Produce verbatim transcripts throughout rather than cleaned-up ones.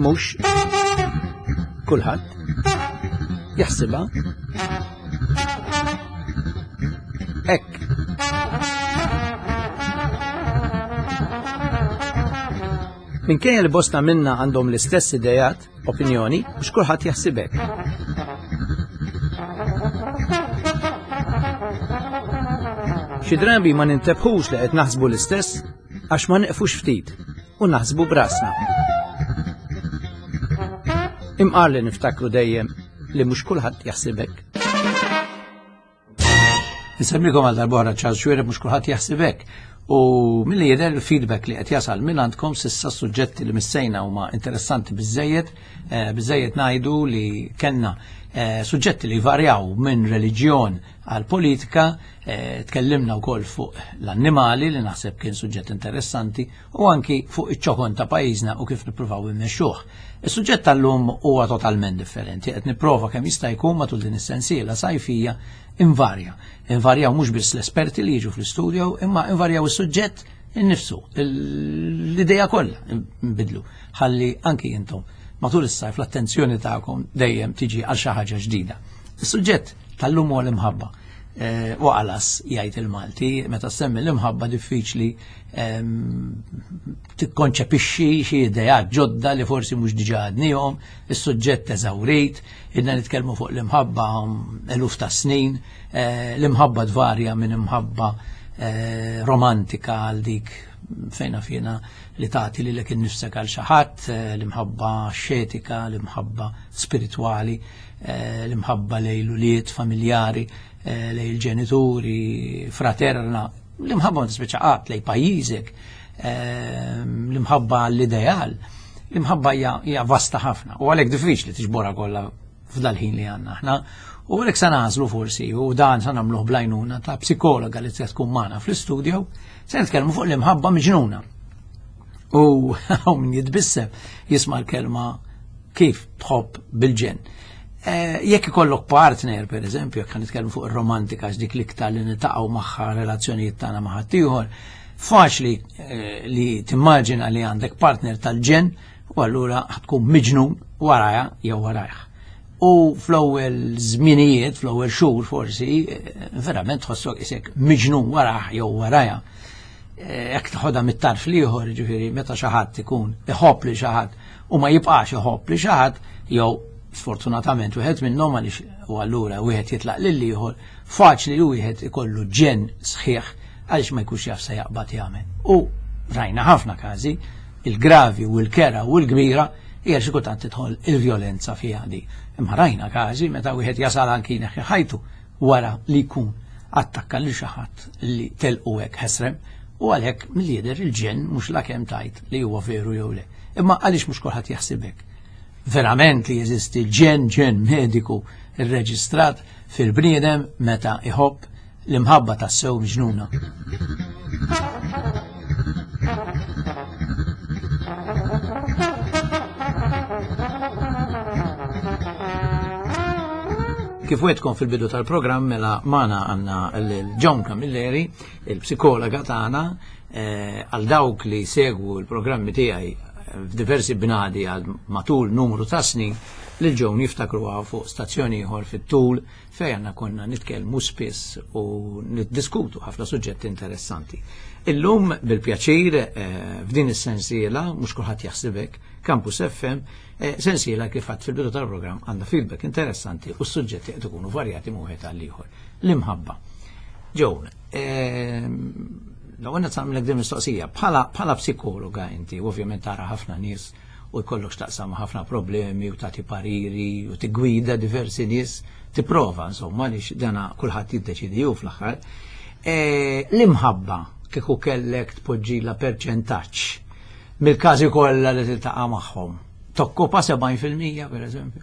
Mhux kulħadd jaħsibha hekk. Minkejja li bosta minna għandhom l-istess idejat, opinjoni, mhux kulħadd jaħsib hekk. Xi drabi ma nintebħux li qed naħsbu l-istess għax ma neqfux ftit u naħsbu brasna. Imqar li niftakru dejjem li mhux kulħadd jaħsib hekk. Nsemmikom għal darbora Charles Xuereb, mhux kulħadd jaħsib hekk. U milli jidher il-feedback li qed jasal minn għandkom s'issa suġġetti li missejna huma interessanti biżejjed, biżejjed ngħidu li kellna suġġetti li varjaw minn reliġjon għal politika, tkellimna wkoll fuq l-annimali li naħseb kien suġġett interessanti u anki fuq iċ-ċokon ta' pajjiżna u kif nippruvaw immexxuh. Is-suġġett tal-lum huwa totalment differenti, qed nipprova kemm jista' jkun matul din is-sensiela sajfija invarja. Invarjaw mhux biss l-esperti li jiġu fl-istudio, imma invarjaw is-suġġett innifsu, l-idea kollha nbidlu, ħalli anki intom matul is-sajf l-attenzjoni tagħkom dejjem tiġi għal xi ħaġa ġdida. Is-suġġett tal-lum huwa l-imħabba. U għalas jgħid il-Malti, meta semmi l-imħabba diffiċli tikkonċepixxi xi ideat ġodda li forsi mhux diġà għadnihom, is-suġġett eżawrit, idna nitkellmu fuq l-imħabba eluf ta' snin, l-imħabba tvarja minn imħabba romantika għal dik fejna fjena li tagħti lilek innifsek għal xi ħadd, l-imħabba xetika, l-imħabba spiritwali, l-imħabba lejn l-ulied familjari, lejn il-ġenituri, fraterna, l-imħabba ma tispiċċa qatt lejn pajjiżek, l-imħabba għall-ideal, l-imħabba hija vasta ħafna u għalhekk diffiċli tiġborha kollha f'dal-ħin li għandna aħna. U għalhekk se nagħżlu forsi, u dan se nagħmluh bl-għajnuna ta' psikologa li se tkun magħna fl-istudio, se nitkellmu fuq l-imħabba miġnuna. U hawn min jitbissem jisma' l-kelma kif tħobb bil-ġenn. Jekk ikollok partner, per eżempju, jekk nitkellmu fuq ir-romantika għax dik l-iktar li niltaqgħu magħha relazzjonijiet tagħna ma' ħaddieħor, faċli li timmaġina li għandek partner tal-ġenn u allura tkun miġnun warajha jew warajh. U fl-ewwel żminijiet, fl-ewwel xhur forsi, verament tħossok isek miġnun warah jew warajha. Jekk tħodha mit-tarf l-ieħor, jiġifieri meta xi ħadd ikun iħobb li xi ħadd u ma jibqax iħobb li xi ħadd, jew sfortunatament wieħed minnhom għaliex u allura wieħed jitlaq lil ieħor, faċli li wieħed ikollu ġenn sħiħ għaliex ma jkunx jaf se jaqbad jagħmel. U rajna ħafna każi, il-gravi u l-kera u l-kbira hija xi kultant tidħol il-vjolenza fiha di. Imma rajna każi meta wieħed jasal anki jneħħi ħajtu wara li jkun attakka lil xi ħadd li telqu hekk ħesrem, u għalhekk mill-jidher il-ġenn mhux la kemm tajt li huwa veru jew le. Imma għaliex mhux kulħadd jaħseb hekk? Verament li jeżisti ġenn ġenn mediku rreġistrat fil-bniedem meta iħobb l-imħabba tassew miġnuna. Kif wetkom fil-bidu tal-programm, mela magħna għandna l-Joan Camilleri, il-psikologa tagħna, għal dawk li segwu l-programmi tiegħi f'diversi bnadi għal matul numru ta' snin, lil Joan jiftakruha fuq stazzjoni ieħor fit-tul fejn għandna konna nitkellmu spiss u niddiskutu ħafna suġġetti interessanti. Illum bil-pjaċir f'din is-sensiela, mhux kulħadd jaħseb hekk, Campus F M, sensiela kif għadt fil-bidu tal-programm għandha feedback interessanti u s-suġġetti qed ikunu varjati minn wieħed għal ieħor. L-imħabba. Joan, l-ewwel qed nagħmlek din mistoqsija, bħala psikologa inti, ovvjament tara ħafna nies u jkollok x'taqsam ħafna problemi u tagħti pariri u tiggwida diversi nies, tipprova insomma għaliex dana kulħadd jiddeċidi hu fl-aħħar. L-imħabba kieku kellek tpoġġilha perċentaġġ mill-każi kollha li tiltaqa' magħhom, tokkupa sebgħin fil-mija pereżempju?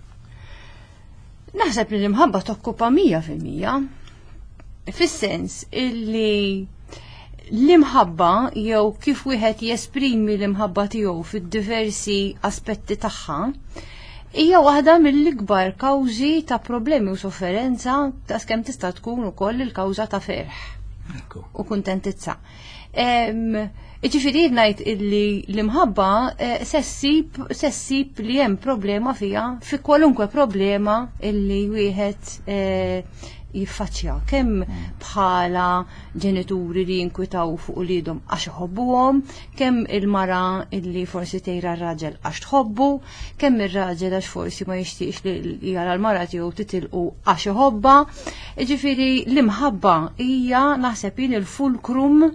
Naħseb li l-imħabba tokkupa mija fil-mija, fis-sens illi l-imħabba jew kif wieħed jesprimi l-imħabba tiegħu fid-diversi aspetti tagħha hija waħda mill-ikbar kawżi ta' problemi u sofferenza ta' skemm tista' tkun ukoll il-kawża ta' ferħ Ekku. u kuntentizza. Ġifieri ngħid illi l-imħabba eh, se ssib se ssib li hemm problema fiha fi kwalunkwe problema illi wieħed eh, jiffaċċja kemm bħala ġenituri li jinkwitaw fuq uliedhom għax iħobbuhom, kemm il-mara illi forsi tgħira r-raġel għax tħobbu, kemm ir-raġel għax forsi ma jixtieqx li jara l-mara tiegħu titilqu għax iħobbha. Ġifieri l-imħabba hija naħseb jien il-fulcrum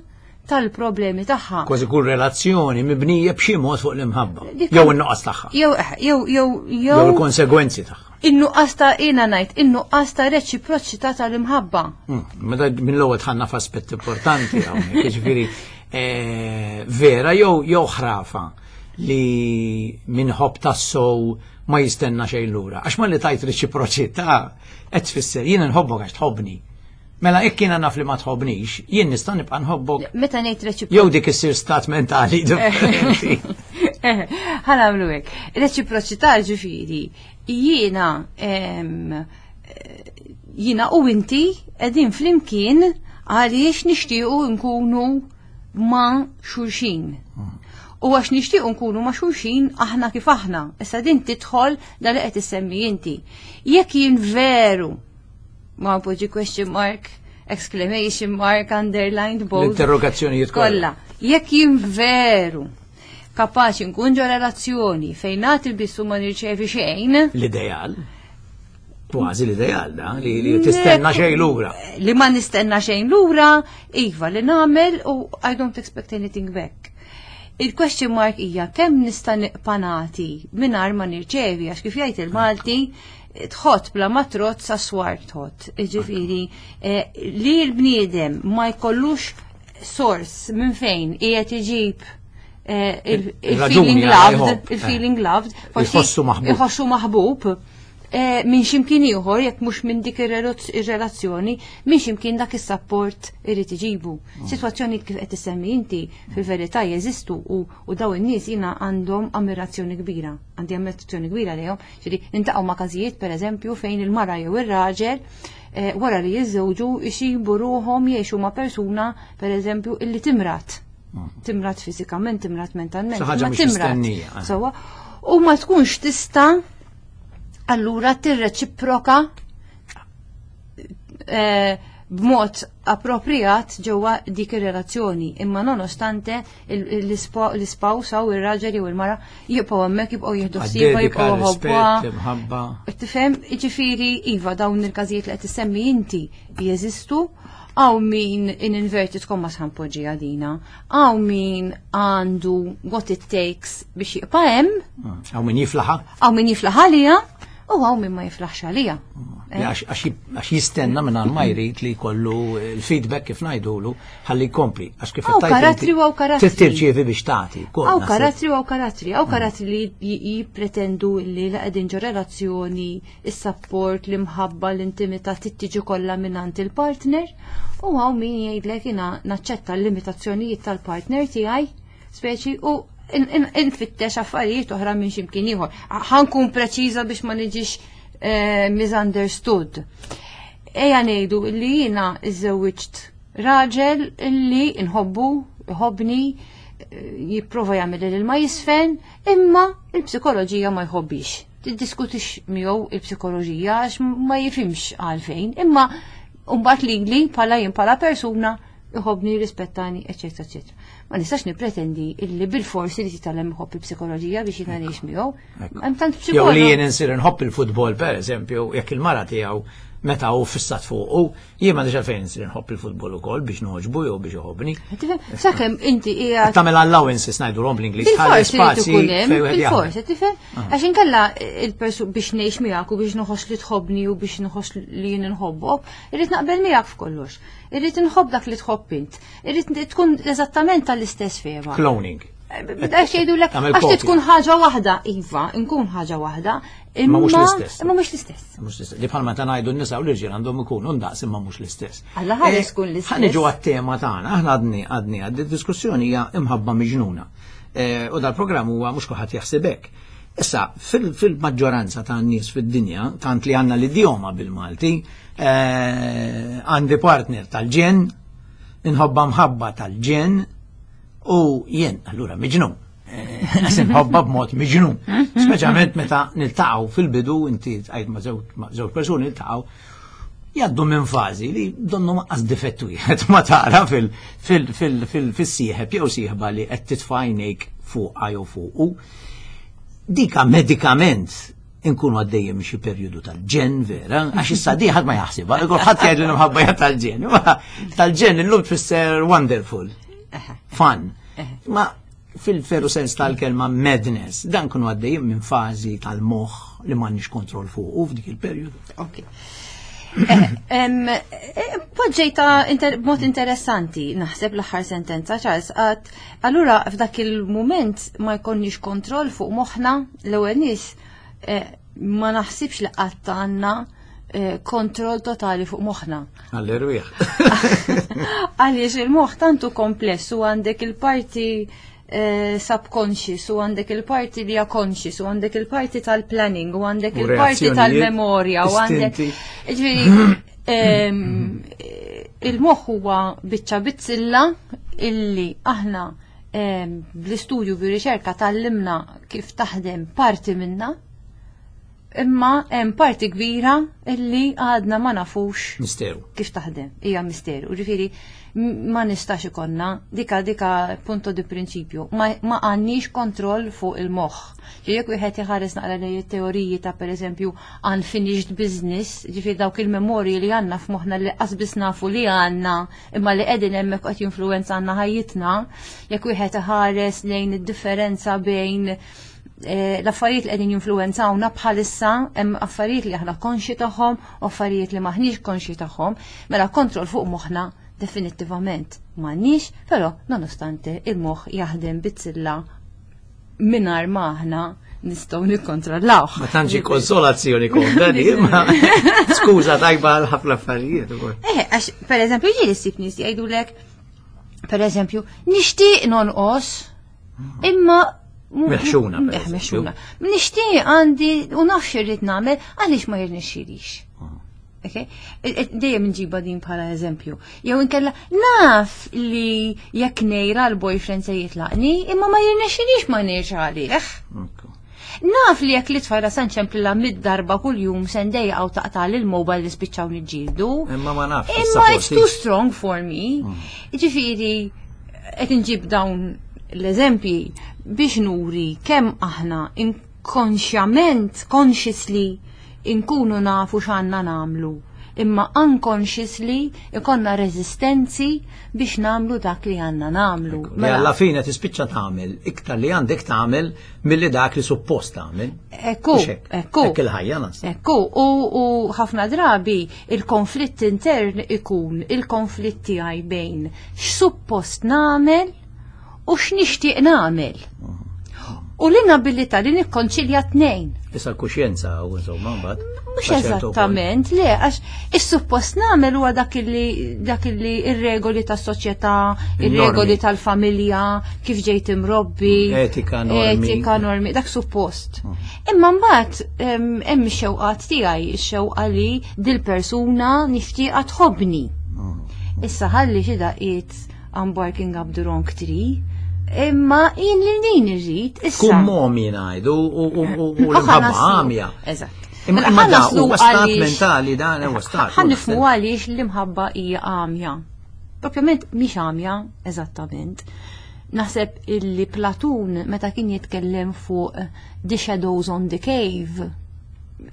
tal-problemi tagħha. Kważi kull relazzjoni mibnija b'xi mod fuq l-imħabba. Dik- Jew in-nuqqas tagħha. Jew eh, jew jew Jew jew il-konsegwenzi tagħha. in-nuqqas ta' jiena ngħid in-nuqqas ta' reċiproċità tal-imħabba. Mm, Meta minn l-ewwel dħalna f'aspett importanti hawnhekk, jiġifieri eh, vera jew jew ħrafa li min iħobb tassew ma jistenna xejn lura. Għax ma li tajt reċiproċità qed tfisser jien nħobbok għax tħobbni. Mela jekk jiena naf li ma tħobbnix, jien nista' nibqa' nħobbok Meta ngħid reċiproċità jew dik issir stat mentali differenti. Ħa nagħmlu hekk. Reċiproċità ġifieri jiena em, eh, jiena u inti qegħdin flimkien għaliex nixtiequ nkunu ma' xulxin. U għax nixtiequ nkunu ma' xulxin aħna kif aħna. Issa din tidħol da li qed issemmi inti. Jekk jien veru ma poġġi question mark, exclamation mark, underlined bold. L-interrogazzjonijiet kollha. Kollha. Jekk jien veru kapaċi nkun ġo relazzjoni fejn nagħti biss u ma nirċevi xejn, L-ideal. Kważi l-ideal da, li, li tistenna xejn lura. li ma nistenna xejn lura, iva li nagħmel u I don't expect anything back. Il-question mark hija kemm nista' nibqa' nagħti mingħajr ma nirċevi għax kif jgħid il-Malti tħott bla ma trott sa swar tħott. Ġifieri eh, li l-bniedem ma jkollux source minn fejn qiegħed iġib eh, il- Il-raġuni il-feeling għala loved, jħobb. il-feeling loved, forsi Iħossu maħbub. iħossu maħbub eh, minn ximkien ieħor jekk mhux minn dik ir-relazzjoni, minn ximkien dak is-support irid iġibu. Sitwazzjoni kif qed issemmi inti fil-verità jeżistu u, u daw in-nies jiena għandhom ammirazzjoni kbira, għandi ammirazzjoni kbira lejhom, ġifieri niltaqgħu ma' każijiet pereżempju fejn il-mara jew ir-raġel eh, wara li jiżżewġu jsibu ruħhom jgħixu ma' persuna pereżempju illi timrat. Timrat fiżikament, timrat mentalment, Xi ħaġa imma mhix timrat. mistennija, eh. Sewwa, u ma tkunx tista' allura tirreċiproka eh, b'mod appropriat ġewwa dik ir-relazzjoni. Imma nonostante l-ispouse u ir-raġel jew il-mara jibqgħu hemmhekk jibqgħu jieħdu ħsiebha, Għad-dedika, jibqgħu rispett, ħobbuha. l-imħabba. Tifhem, ġifieri, iva, dawn il-każijiet li qed issemmi inti jeżistu, hawn min in inverted commas ħa npoġġi għadina, hawn min għandu what it takes biex jibqa' hemm, Hawn min jiflaħha, hawn min jiflaħ għalija, u hawn min ma jiflaħx għalija. li għax għax jib- għax jistenna minn ma jrid li jkollu il-feedback kif ngħidulu ħalli jkompli. Għax kif Hawn qed tgħid karattri inti, u hawn karattri. Trid tirċievi biex tagħti. wkoll Hawn naħseb. karattri u hawn karattri, hawn karattri li j- jippretendu li la qegħdin ġo relazzjoni, is-support, l-imħabba, l-intimità tittiġi kollha mingħand il-partner, u hawn min jgħidlek jiena naċċetta l-limitazzjonijiet tal-partner tiegħi, speċi u in- in- infittex affarijiet oħra minn x'imkien ieħor. Ħa nkun preċiża biex ma niġix eh, misunderstood. Ejja ngħidu li jiena iżżewwiġt raġel illi nħobbu, iħobbni, eh, jipprova jagħmel il ma jisfen, imma il-psikoloġija ma jħobbix. Tiddiskutix miegħu il-psikoloġija għax ma jifhimx għalfejn, imma mbagħad lili bħala jien bħala persuna iħobbni, rispettani, eċetera, eċetera. Ma nistax nipretendi illi bil-forsi li titgħallem iħobb il-psikoloġija biex jiena ngħix miegħu. Hemm tant Jew li psikologi. jien insir nħobb il-futbol per eżempju, jekk il-mara tiegħu meta hu fissat fuqu, jien m'għandix għalfejn insir nħobb il-futbol ukoll biex noġbu jew biex iħobbni. Tifhem, sakemm inti qiegħed Tagħmel allowances ngħidulhom bl-Ingliż, ħalli Bil-forsi li spazji tkun hemm, fejn wieħed jaħdem. bil-forsi, tifhem? Għax inkella il-persu biex ngħix miegħek u biex nħoss li tħobbni u biex nħoss li jien inħobbok, irrid naqbel miegħek f'kollox. Irrid inħobb dak li tħobb int. Irrid tkun eżattament tal-istess fehma. Cloning. Għax jgħidulek, Tagħmel għax kopja. tkun ħaġa waħda, iva, nkun ħaġa waħda, Imma mhux imma l-istess. Imma mhux l-istess. Mhux l-istess. Li bħalma ta' ngħidu n-nisa u l-irġiel għandhom ikunu ndaqs imma mhux l-istess. Alla ħares Eh, tkun l-istess. Ħa niġu għat-tema tagħna, aħna għadni għadni għaddi diskussjoni hija imħabba miġnuna. Eh, U dal-programm huwa mhux kulħadd jaħseb hekk. Issa, fil- fil-maġġoranza ta' nies fid-dinja, tant li għandna l-idjoma bil-Malti, eh, għandi partner tal-ġenn, Inħobbha mħabba tal-ġenn u jien, allura miġnun. Għax inħobbha b'mod miġnun. Speċjalment meta niltaqgħu fil-bidu, inti għajd ma' żewġ persuni niltaqgħu, jgħaddu minn fażi li donnu lanqas difett wieħed ma tara fil-sieħeb jew sieħba li qed titfa' għajnejk fuqha jew fuqu. Dika medikament inkunu għaddejjem xi perjodu tal-ġenn vera, għax issa di ħadd ma jaħsibha, ħadd jgħid li l-imħabba hija tal-ġenn. Tal-ġenn illum tfisser wonderful, fun. Ma fil-veru sens tal-kelma madness, dan kunu għaddejjem minn fażi tal-moħħ li m'għandniex kontroll fuq u f'dik il-perjodu. Ok. Poġġejta b'mod interessanti, naħseb l-aħħar sentenza, Charles, għat, allura f'dak il-moment ma jkollniex kontroll fuq moħħna. L-ewwel nies, eh, ma naħsibx li qatt għandna eh, kontroll totali fuq moħħna. Għall-erwieħ. Għaliex il-moħħ tantu kompless u għandek il-parti eh, subconscious u għandek il-parti li hija conscious u għandek il-parti tal-planning u għandek U il-parti reazzjonijiet, tal-memorja u għandek istinti. Ġifieri, ehm, il-moħħ huwa biċċa bizzilla illi aħna ehm, bl-istudju bir-riċerka tgħallimna kif taħdem parti minna, imma hemm parti kbira illi għadna ma nafux Misteru. kif taħdem, hija misteru. Ġifieri m- ma nistax ikonna dika dika punto di prinċipju, ma, ma għandniex kontroll fuq il-moħħ. Ġifieri jekk wieħed iħares naqra lejn it-teoriji ta' pereżempju unfinished business, ġifieri dawk il-memorji li għandna f'moħħna li qasbis nafu li għandna imma li qegħdin hemmhekk qed jinfluwenza ħajjitna, jekk wieħed iħares lejn id-differenza bejn eh, l-affarijiet li qegħdin jinfluwenzawna bħalissa, hemm affarijiet li aħna konxi tagħhom u affarijiet li maħniex konxi tagħhom, mela kontroll fuq moħħna definittivament m'għandniex, però nonostante il-moħħ jaħdem bizzilla mingħajr ma aħna nistgħu nikkontrollawh. Ma tantx konsolazzjoni komda di, ma skuża tajba għal ħafna affarijiet ukoll. Eh, għax per eżempju ġieli ssib nies jgħidulek, per eżempju, nixtieq nonqos, imma Meħxuna, per Eh, eżempju. meħxuna. Nixtieq, għandi u nafx irrid nagħmel, għaliex ma jirnexxilix. Okay? E- e- Dejjem nġiba din bħala eżempju. Jew inkella naf li jekk ngħira l-boyfriend se jitlaqni, imma ma jirnexxilix ma ngħirx għalih. Ekku. Naf li jekk li tfajla se nċemplilha mitt darba kuljum se ndejqa u taqta' l-mobile li spiċċaw niġġieldu. Imma ma nafx. Imma issa it's forsi- too strong for me. Ġifieri, qed inġib dawn l-eżempji biex nuri kemm aħna inkonxjament, consciously, inkunu nafu x'għandna nagħmlu. Imma unconsciously ikonna rezistenzi biex nagħmlu dak li għandna nagħmlu. Li alla fine tispiċċa tagħmel iktar li għandek tagħmel milli dak li suppost tagħmel. Ekku, Mhux hekk? ekku. Hekk il-ħajja nas. Ekku, u, u ħafna drabi il-konflitt intern ikun il-konflitt tiegħi bejn x'suppost nagħmel u x'nixtieq nagħmel. U l-inabilità li nikkonċilja tnejn. Issa l-kuxjenza u insomma mbagħad. Mhux Ta' ċertu punt. eżattament, le, għax is-suppost nagħmel huwa dak li dak li ir-regoli tas-soċjetà, ir-regoli Il-normi. tal-familja, kif ġejt imrobbi, Etika, normi. Etika, normi, dak suppost. Imma mbagħad em, hemm ix-xewqat tiegħi, ix-xewqa li dil-persuna nixtieqha tħobbni. Issa ħalli xi daqqiet I'm barking up the wrong tree, imma jien li din irrid issa. Tkun momi ngħidu u u- u u U l-imħabba ħa naslu- għamja. Eżatt. Imma Mela, imma ħa da naslu huwa stat għaliex- mentali, dan huwa stat. Ħa nifhmu għaliex l-imħabba hija għamja. Propjament mhix għamja, eżattament. Naħseb illi Platun meta kien jitkellem fuq The Shadows on the Cave,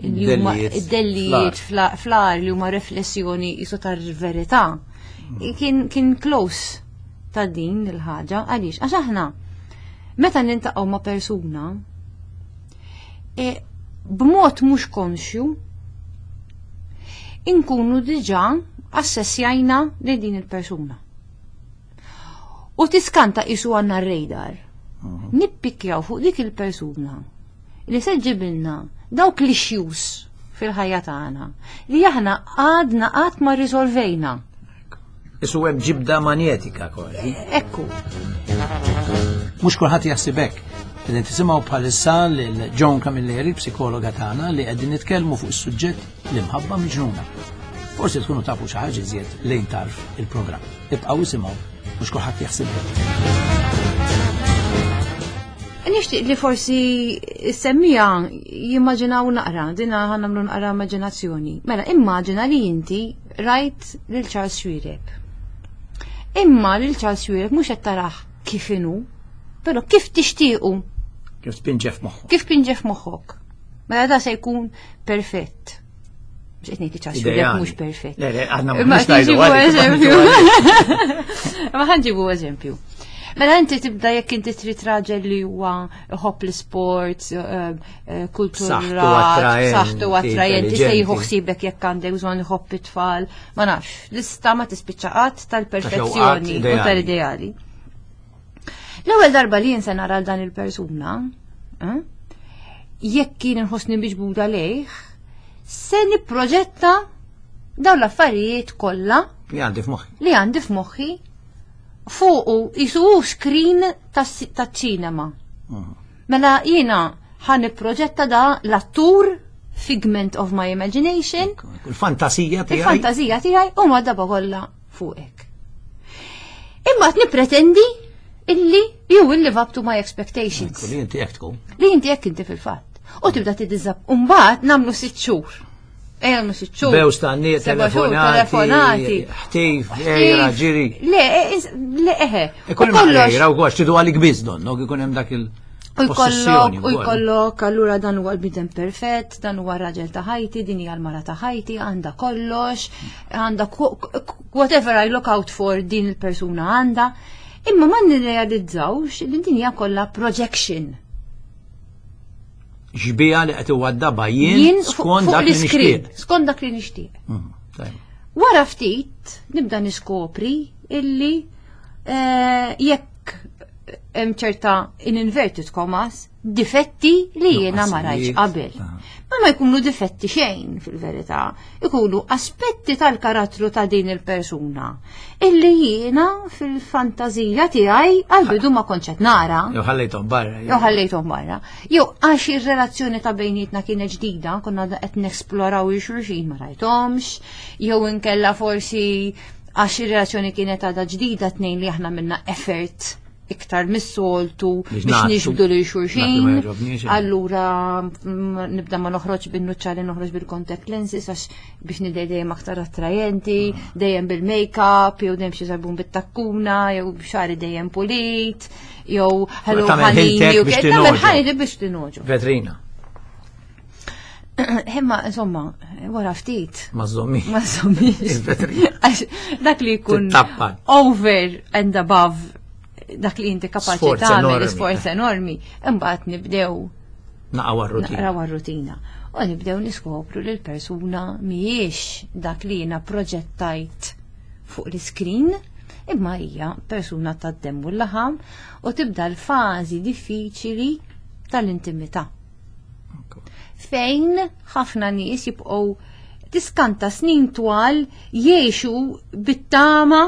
li huma Dellijiet id-dellijiet fl- fl-għar li huma riflessjoni jisu tar-verità. Kien kien close ta' din il-ħaġa. Għaliex? Għax aħna meta niltaqgħu ma' persuna e, b'mod mhux konxju inkunu diġà assessjajna li din il-persuna. U tiskanta isu għandna radar. Nippikjaw fuq dik il-persuna li se ġibilna dawk l-issues fil-ħajja tagħna li aħna għadna qatt ma risolvejna. Isu hemm ġibda manjetika kważi. Ekku. Mhux kulħadd jaħseb hekk. Qegħdin tisimgħu bħalissa lil Joan Camilleri, psikologa tagħna, li qegħdin nitkellmu fuq is-suġġett l-imħabba miġnuna. Forsi tkunu tafu xi ħaġa iżjed lejn tarf il-programm. Ibqgħu isimgħu mhux kulħadd jaħseb. Nixtieq li forsi semmija jimmaġinaw naqra, dina ħa nagħmlu naqra immaġinazzjoni. Mela, immaġina li inti rajt lil Charles Xuereb. Imma lil Charles Xuereb mhux qed tarah kif inhu, però kif tixtiequ, Kif tpinġef moħħu. kif pinġef moħħok. Mela da se jkun perfett. Mhux qed ngħid li Charles Xuereb Ideali. mhux perfett. Le, le, aħna Imma mhux ngħidu nġibu għalik, eżempju. imma Ma ħa nġibu eżempju. Mela inti tibda jekk inti trid raġel li huwa iħobb l-sports, eh, eh, kulturat, B'saħħtu attraenti, b'saħħtu attrajenti, se jieħu intelligenti. ħsiebek jekk għandek bżonn iħobb it-tfal, ma nafx, lista ma tispiċċa qatt tal-perfezzjoni u ideali. tal-ideali. L-ewwel darba li jien se nara dan il-persuna, eh, jekk kien inħossni miġbuda lejh, se nipproġetta dawn l-affarijiet kollha Li għandi f'moħħi. li għandi f'moħħi fuqu jisu screen tas-ċinema. Mela jiena ħa nipproġetta da l-attur figment of my imagination, Il-fantasija tiegħi. il-fantazija tiegħi u ma daba kollha fuqek. Imma qed nippretendi illi you will live up to my expectations. Li inti hekk tkun. Li inti jekk inti fil-fatt. U tibda tiddiżap. Umbagħad nagħmlu sitt xhur. Ejja nagħmlu sitt xhur. Bews ta' nies, Seba' xhur, telefonati, ħtif, ejra, ġiri. Le, eh, is- le, eħe. Ikun U hemm kollox- ejra u għax tridu għalik biss donno, ikun hemm dak il U jkollok, possessjoni u wkoll. jkollok, allura dan huwa l-bniedem perfett, dan huwa raġel ta' ħajti, din hija l-mara ta' ħajti, għandha kollox, għandha ku- ku- whatever I look out for din il-persuna għandha. Imma ma nirrealizzawx li din hija kollha projection. Xbieha li qed iwaddabha jien Jien fuq skont fuq dak li l-iskrin, nixtieq. skont dak li nixtieq. Mhm, tajjeb. Wara ftit nibda niskopri illi eh, jekk hemm ċerta in inverted commas difetti li jiena ma rajtx qabel. Ah. Ma ma jkunu difetti xejn fil-verità, ikunu aspetti tal-karattru ta' din il-persuna illi jiena fil-fantazija tiegħi għal-bidu ma kontx qed nara. Jew ħallejthom barra. Jew ħallejthom barra. Jew għax ir-relazzjoni ta' bejnietna kienet ġdida, konna qed nesploraw il-xulxin ma rajthomx, jew inkella forsi għax ir-relazzjoni kienet għadha ġdida tnejn li aħna minna effort iktar mis-soltu Biex biex nagħtu. nixbdu lil Dak li ma xulxin. jogħġobniex, eh. Allura mm, nibda ma noħroġ bin-nuċċali noħroġ bil-contact lenses għax biex nidher dejjem aktar attrajenti, dejjem bil-make-up, jew dejjem xi sarbun bit-takkuna, jew xagħri dejjem pulit, jew hello Tagħmel ħanini, ħiltek jew biex kif- tagħmel tinogħġob. ħanini biex tinogħġob. Vetrina, Imma insomma, wara ftit. ma żommi. Ma żommix. Il-vetrina. Għax dak li jkun Tittappan. over and above dak li inti kapaċi Sforz tagħmel enormi. sforz enormi, imbagħad nibdew Naqgħu għar-rutina. naqraw għar-rutina. U nibdew niskopru li l-persuna mhijiex dak li jiena proġettajt fuq l-iskrin, imma hija persuna tad-demm u l-laħam u tibda l-fażi diffiċili tal-intimità fejn ħafna nies jibqgħu tiskanta snin twal jgħixu bit-tama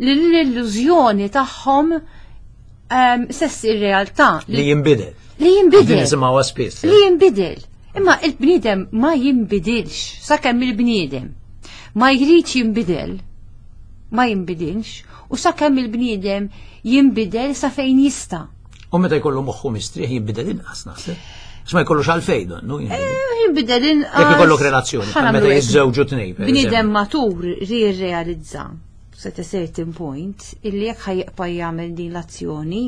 li l-illużjoni tagħhom um, se ssir realtà Li jinbidel. li Din jinbidel. nisimgħuha spiss. Li jinbidel. Imma il-bniedem ma jinbidilx sakemm il-bniedem ma jridx jinbidel ma jinbidilx u sakemm il-bniedem jinbidel sa fejn jista'. U meta jkollu moħħu mistrieħ jinbidel inqas naħseb. Għax ma jkollux għalfejn donnu. jinbidel. Jinbidel inqas. Jekk ikollok relazzjoni, bħal meta Ħa nagħmlu hekk. jiżżewġu tnejn, per Bniedem eżempju. matur jirrealizza at a certain point illi jekk ħa jibqa' jagħmel din l-azzjoni,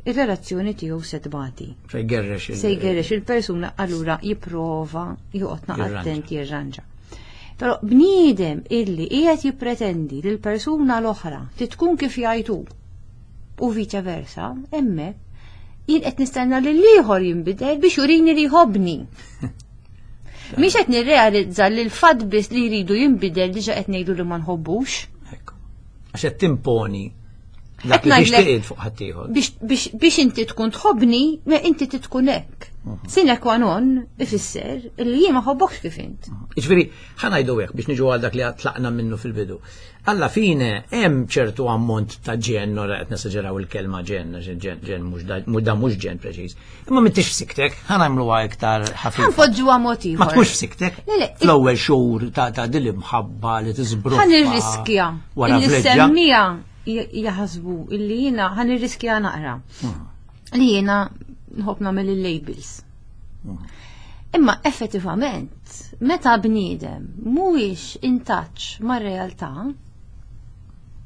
ir-relazzjoni tiegħu se tbati. Se jgerrex il- Se jgerrex il-persuna allura jipprova joqgħod Jirranġa. attent jirranġa. Però bniedem illi qiegħed jippretendi li l-persuna l-oħra titkun kif jgħidu u viċa versa, hemmhekk jien qed nistenna li l-ieħor jinbidel biex jurini li jħobbni. Mhix qed nirrealizza li l-fatt biss li jridu jinbidel diġà qed ngħidu li ma nħobbux. Ekku. Għax qed timponi Dak Qed li ngħidlek- tixtieq fuq ħaddieħor. biex, biex, biex inti tkun tħobbni, ma inti tkun hekk. Sine qua non ifisser illi jien ma ħobbokx kif int. Jiġifieri, ħa ngħidu hekk biex niġu għal dak li tlaqna minnu fil-bidu. Alla fine, hemm ċertu ammont ta' ġen, ora qed nesaġeraw il-kelma ġen, għax ġen, ġen mhux da, mhux da mhux ġen preċiż. Imma m'intix f'siktek, ħa nagħmluha iktar ħafifa. Ħa npoġġuha mod ieħor. Ma tkunx f'siktek. Le, le, Fl-ewwel xhur ta' ta' din l-imħabba li tiżbruffa. Ħa nirriskja. Wara Illi vleġġa. semmija jaħsbu illi jiena ħa nirriskja naqra. Li jiena nħobb nagħmel il-labels. Imma effettivament, meta bniedem mhuwiex in touch mar-realtà,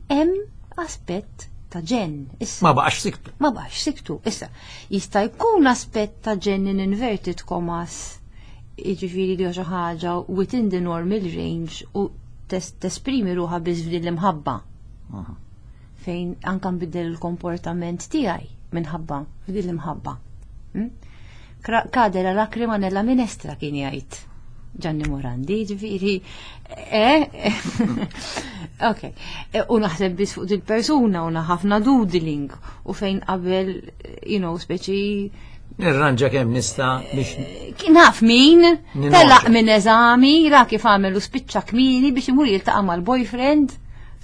hemm aspett ta' ġen. Issa, Ma baqax siktu. ma baqax siktu. Issa, jista' jkun aspett ta' ġen in inverted commas, jiġifieri li xi ħaġa within the normal range u tes- tesprimi ruħha biss f'din l-imħabba. Fejn anka nbiddel il-komportament tiegħi minħabba f'din l-imħabba. Mm? Kra- Cade la lacrima nella minestra kien jgħid Gianni Morandi, ġifieri, eh, ok, E, u naħseb biss fuq dil-persuna u ħafna doodling u fejn qabel, you know, speċi Nirranġa kemm nista' biex kien naf min, Ninoġa. telaq minn eżami, ra kif għamel u spiċċa kmini biex imur jiltaqa' mal-boyfriend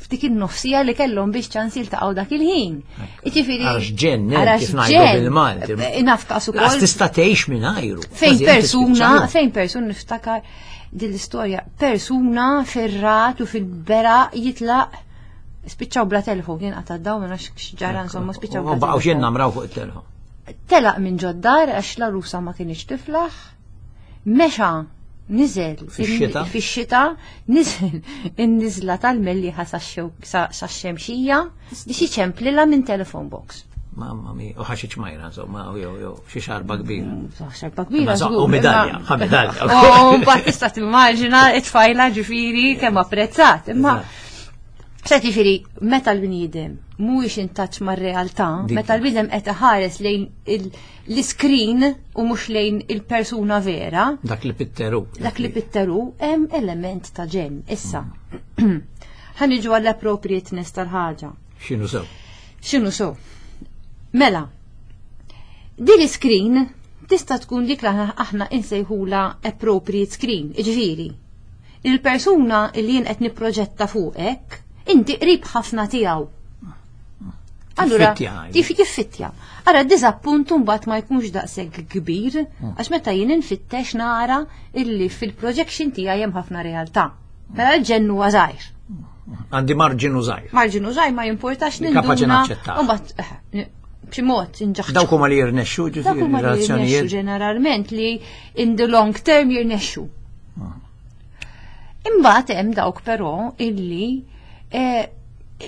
f'dik in-nofsija li kellhom biex ċans jiltaqgħu dak il-ħin. Jiġifieri Għax ġen, għax kif ngħidu ġen. bil-Malti. Eh, Naf każ Laqas ukoll tista' tgħix mingħajru. fejn Kważi inti persuna, tispiċċa. fejn persuna niftakar din l-istorja, persuna fir-ragħad u fil-bera jitlaq spiċċaw bla telefon, kien qata' daw ma nafx x'ġara insomma spiċċaw U bla baqgħu telefon. jinnamraw fuq it-telefon. Telaq minn ġod-dar għax l-għarusa ma kienx tiflaħ, mexa niżel Fix-xita? fix-xita niżel in-niżla tal-Mellieħa sax-Xemxija biex iċemplilha minn telephone box. Mamma mia, u ħa xi ċmajra, insomma, u jew jew xi xarba kbira. Xarba kbira. Imma so- żgur, u medalja, imma- ħa medalja. U mbagħad tista' timmaġina it-tfajla ġifieri kemm apprezzat. Imma Sa ġifieri, meta l-bniedem mhuwiex in touch mar-realtà, Dik. meta l-bniedem qed iħares lejn il- l-iskrin u mhux lejn il-persuna vera, Dak li pitteru. dak li pitteru hemm element ta' ġen. Issa, ħa niġu għall-appropriateness tal-ħaġa. X'inhu sew? X'inhu so? Mela, din l-screen tista' tkun dik li aħna- aħna insejħula appropriate screen, ġifieri. Il-persuna li jien qed nipproġetta fuqek, inti qrib ħafna tiegħu. Allura, Tiffittja, ngħidu. tif jiffittja. Ara, diżappunt mbagħad ma jkunx daqshekk kbir, għax meta jien infittex nara illi fil-projection tiegħi hemm ħafna realtà. Mela l-ġenn huwa żgħir. Għandi marġinu żgħir. Marġinu żgħir ma jimpurtax Li kapaċi ninduna. naċċettah. U mbagħad, eh, n- b'xi mod inġaħġ. Dawk huma li jirnexxu Dak ġifieri huma li jirnexxu relazzjonijiet. ġeneralment li in the long term jirnexxu. Imbagħad hemm dawk però illi eh,